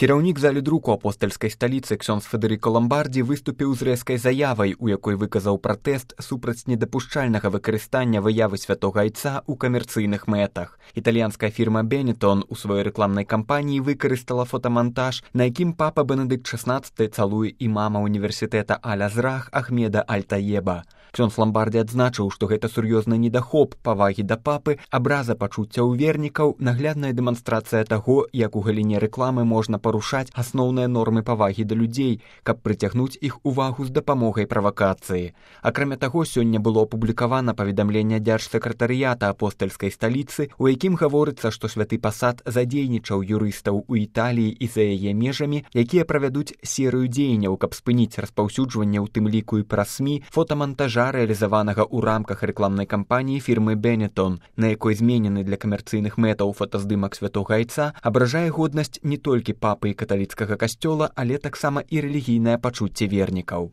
Кіраўнік залі друку апостальскай сталіцы ксёндз Федэрыка Ламбардзі выступіў з рэзкай заявай, у якой выказаў пратэст супраць недапушчальнага выкарыстання выявы святога айца ў камерцыйных мэтах. Італьянская фірма Benetton у сваёй рэкламнай кампаніі выкарыстала фотамантаж, на якім папа Бенедыкт XVI цалуе імама універсітэта Аль-Азрах Ахмеда Аль-Таеба. Ксёндз Ламбардзі адзначыў, што гэта сур'ёзны недахоп павагі да папы, абраза пачуццяў вернікаў, наглядная дэманстрацыя таго, як у галіне рэкламы можна парушаць асноўныя нормы павагі да людзей, каб прыцягнуць іх увагу з дапамогай правакацыі. Акрамя таго, сёння было апублікавана паведамленне дзяржсакратарыята апостальскай сталіцы, у якім гаворыцца, што святы пасад задзейнічаў юрыстаў у Італіі і за яе межамі, якія правядуць серыю дзеянняў, каб спыніць распаўсюджванне, у тым ліку і праз СМІ, фотамантажа, рэалізаванага ў рамках рэкламнай кампаніі фірмы Benetton, на якой зменены для камерцыйных мэтаў фотаздымак святога айца, абражае годнасць не толькі папы і каталіцкага касцёла, але таксама і рэлігійнае пачуцце вернікаў.